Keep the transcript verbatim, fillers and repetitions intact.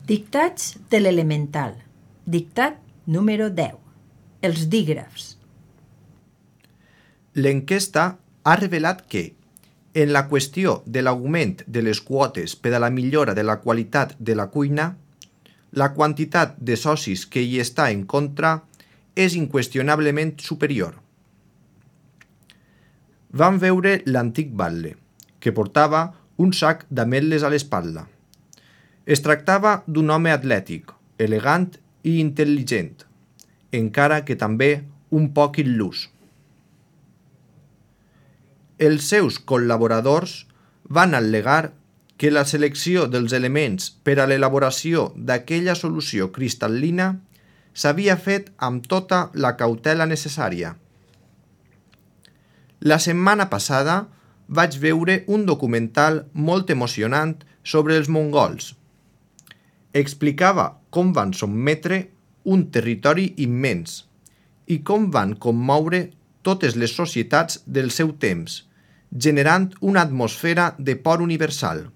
Dictats de l'elemental. Dictat número deu. Els dígrafs. L'enquesta ha revelat que, en la qüestió de l'augment de les quotes per a la millora de la qualitat de la cuina, la quantitat de socis que hi està en contra és inqüestionablement superior. Vam veure l'antic batlle, que portava un sac d'ametlles a l'espatlla. Es tractava d'un home atlètic, elegant i intel·ligent, encara que també un poc il·lús. Els seus col·laboradors van al·legar que la selecció dels elements per a l'elaboració d'aquella solució cristal·lina s'havia fet amb tota la cautela necessària. La setmana passada vaig veure un documental molt emocionant sobre els mongols. Explicava com van sotmetre un territori immens i com van commoure totes les societats del seu temps, generant una atmosfera de por universal.